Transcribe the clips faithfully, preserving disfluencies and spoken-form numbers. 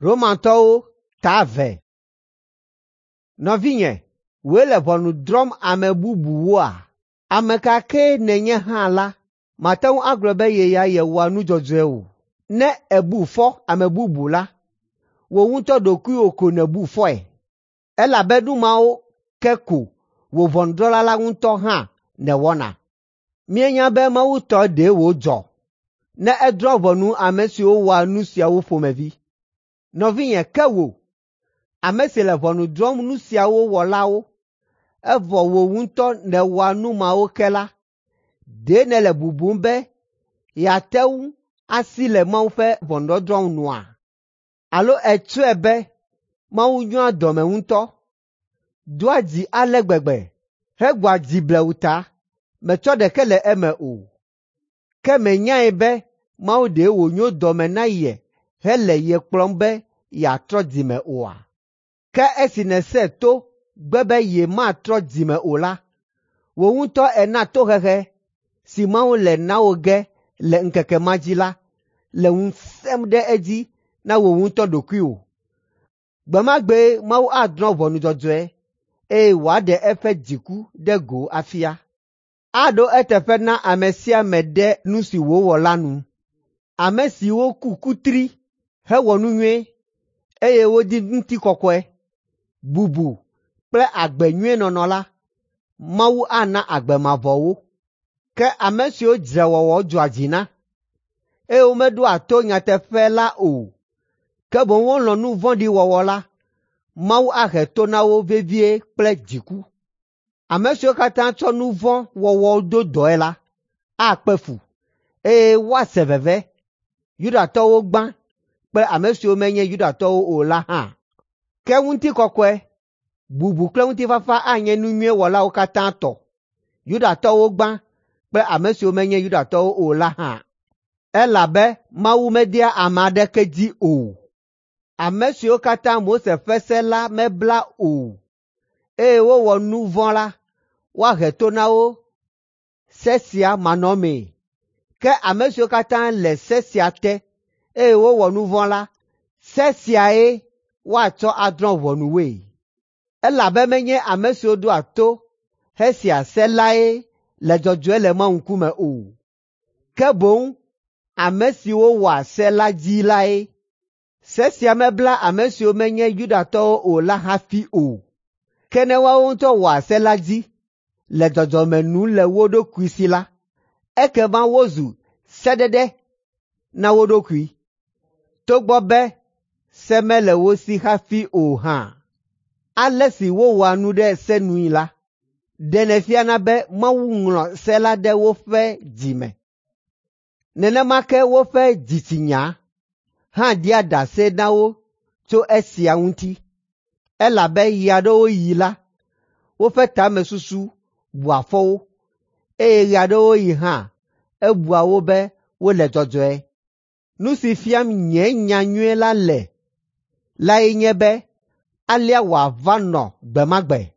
Romatɔwo ta eve. Nɔvinye, wòe le ʋɔnu drɔ̃m ame bubuwoa? Ame ka kee nènye hã la, màte ŋu agblɔ be ye ya yewɔa nu dzɔdzɔe o. Ne èbu fɔ ame bubu la, wò ŋutɔ ɖokuiwò ko nèbu fɔe, elabe nu mawo ke ko wò ʋɔnudrɔ̃la la ŋutɔ hã nèwɔna. Míenya be Mawu tɔ ɖe wòdzɔ ne edrɔ̃ ʋɔnu ame siwo wɔa nu siawo ƒomevi. Nɔvinye, ke wò, ame si le ʋɔnu drɔ̃m nu siawo wɔlawo, evɔ wò ŋutɔ nèwɔa nu mawo ke la, ɖe nèle bubum be yeate ŋu asi le Mawu ƒe ʋɔnudɔdrɔ̃ nua? Alo ètsɔe be Mawu nyoa dɔme ŋutɔ, doa dzi ale gbegbe, hegbɔa dzi blewu ta metsɔ ɖeke le eme o. Ke mènyae be Mawu ɖe wònyo dɔme na ye hele ye kplɔm be yeatrɔ dzime oa? Ke esi nèsẽ to gbe be yematrɔ dzime o la, wò ŋutɔ èna tohehe si Mawu le na wò ge le ŋkeke ma dzi la le ŋu sẽm ɖe edzi na wò ŋutɔ ɖokuiwò. Gbe ma gbee Mawu adrɔ̃ ʋɔnu dzɔdzɔe eye wòaɖe eƒe dziku ɖe go afia. Aɖo eteƒe na ame sia ame ɖe nu si wòwɔ la nu. Ame siwo ku kutri hewɔ nu nyui, eye wodi ŋutikɔkɔe, bubu kple agbe nyui nɔnɔ la, Mawu ana agbe mavɔ wo. Ke ame siwo dzrewɔwɔ dzɔa dzi na, eye womeɖoa to nyateƒe la o, ke boŋ wolɔ̃ nu vɔ̃ɖi wɔwɔ la, Mawu ahe to na wo vevie kple dziku. Ame siwo katã tsɔ nu vɔ̃ wɔwɔ do dɔe la, akpe fu, eye woase veve, Yudatɔwo gbã kple ame siwo menye Yudatɔwo o la hã. Ke ŋutikɔkɔe, bubu kple ŋutifafa anye nu nyui wɔlawo katã tɔ, Yudatɔwo gbã kple ame siwo menye Yudatɔwo o la hã. Elabe Mawu medea ame aɖeke dzi o. Ame siwo katã Mose ƒe se la mebla o, eye wowɔ nu vɔ̃ la, woahe to na wo se sia manɔmee. Ke ame siwo katã le se sia te, eye wowɔ nu vɔ̃ la, se siae woatsɔ adrɔ̃ ʋɔnu woe. Elabe menye ame siwo ɖoa to hesea se lae le dzɔdzɔe le Mawu ŋkume o, ke boŋ ame siwo wɔa se la dzi lae. Se sia mebla ame siwo menye Yudatɔwo o la hafi o. Ke ne woawo ŋutɔ wɔa se la dzi le dzɔdzɔme nu le wo ɖokui si la, ekema wozu sedede na wo ɖokui, togbɔ be se mele wo si hafi o hã. Ale si wowɔa nu ɖe se nui la, ɖenɛ fiana be Mawu ŋlɔ se la ɖe woƒe dzi me. Nenema ke woƒe dzitsinya hã ɖia ɖase na wo tso esia ŋuti, elabe ɣe aɖewo ɣi la, woƒe tamesusu bua fɔ wo, eye ɣe aɖewo ɣi hã ebua wo be wole dzɔdzɔe. Nu si fiam nye nya nyui la le lae nye be alea wòava nɔ gbe ma gbe,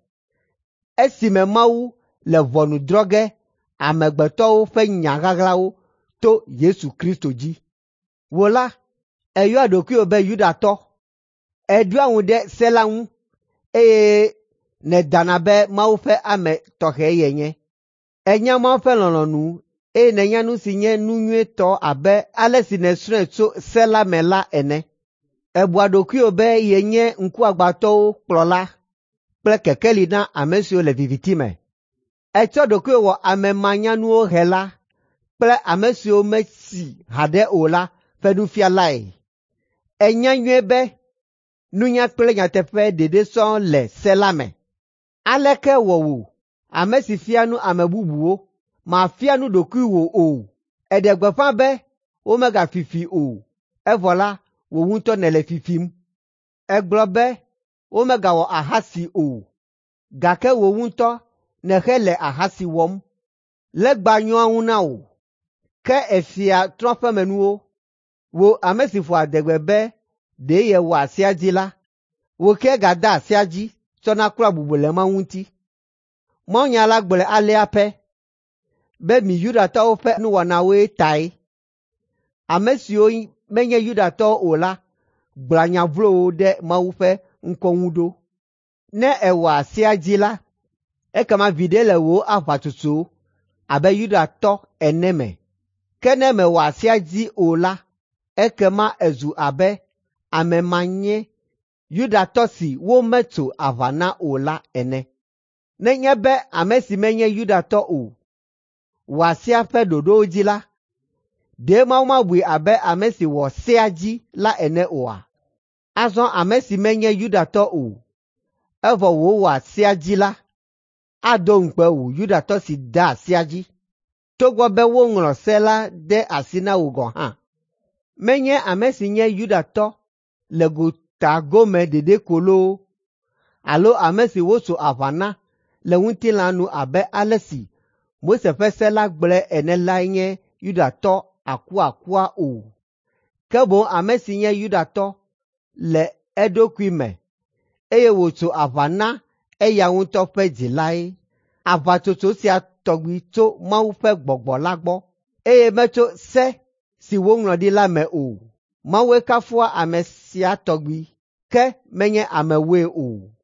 esime Mawu le ʋɔnu drɔ̃ ge amegbetɔwo ƒe nya ɣaɣlawo to Yesu Kristo dzi. Wò la, èyɔa ɖokuiwò be Yudatɔ, èɖoa ŋu ɖe se la ŋu, eye nèdana be Mawu ƒe ame tɔxɛ yenye. Ènya Mawu ƒe lɔlɔ̃nu eye nènya nu si nye nu nyuitɔ abe ale si nèsrɔ̃e tso se la me la ene. Èbua ɖokuiwò be yenye ŋkuagbãtɔwo kplɔla kple kekeli na ame siwo le viviti me. Ètsɔ ɖokuiwò wɔ ame manyanuwo hela kple ame siwo metsi haɖe o la ƒe nufialae. Ènya nyuie be nunya kple nyateƒe ɖeɖe sɔŋ le se la me. Aleke wɔ wò, ame si fia nu ame bubuwo, màfia nu ɖokuiwò o? Èɖe gbeƒã be womegafi fi o, evɔ la, wò ŋutɔ nèle fi fim. Ègblɔ be womegawɔ ahasi o, gake wò ŋutɔ nèhele ahasi wɔm. Legba nyɔa ŋu na wò, ke èfia trɔ̃ƒemenuwo. Wò ame si ƒoa adegbe be ɖe yewɔa sea dzi la, wò ke gàdea sea dzi tsɔna klɔa bubu le Mawu ŋuti. Mawunya la gblɔe alea pɛ be mi Yudatɔwo ƒe nuwɔnawoe tae. Ame siwo menye Yudatɔwo o la gblɔa nya vlowo ɖe Mawu ƒe ŋkɔ ŋu ɖo. Ne èwɔa sea dzi la, ekema viɖe le wò aʋatsotso abe Yudatɔ ene me. Ke ne mèwɔa sea dzi o la, ekema èzu abe ame manye Yudatɔ si wometso aʋa na o la ene. Nenye be ame si menye Yudatɔ o wɔa sea ƒe ɖoɖowo dzi la, ɖe Mawu mabui abe ame si wɔ sea dzi la ene oa? Azɔ ame si menye Yudatɔ o, evɔ wòwɔa sea dzi la, ado ŋukpe wò Yudatɔ si dea sea dzi, togbɔ be woŋlɔ se la de asi na wò gɔ̃ hã. Menye ame si nye Yudatɔ le gota gome ɖeɖe ko loo, alo ame si wotso aʋa na le ŋutilã nu abe ale si Mose ƒe se la gblɔe ene lae nye Yudatɔ akuakua o, ke boŋ ame si nye Yudatɔ le eɖokui me, eye wòtso aʋa na eya ŋutɔ ƒe dzi lae. Aʋatsotso sia tɔgbi tso Mawu ƒe Gbɔgbɔ la gbɔ, eye metso se si woŋlɔ ɖi la me o. Mawue kafua ame sia tɔgbi, ke menye amewoe o.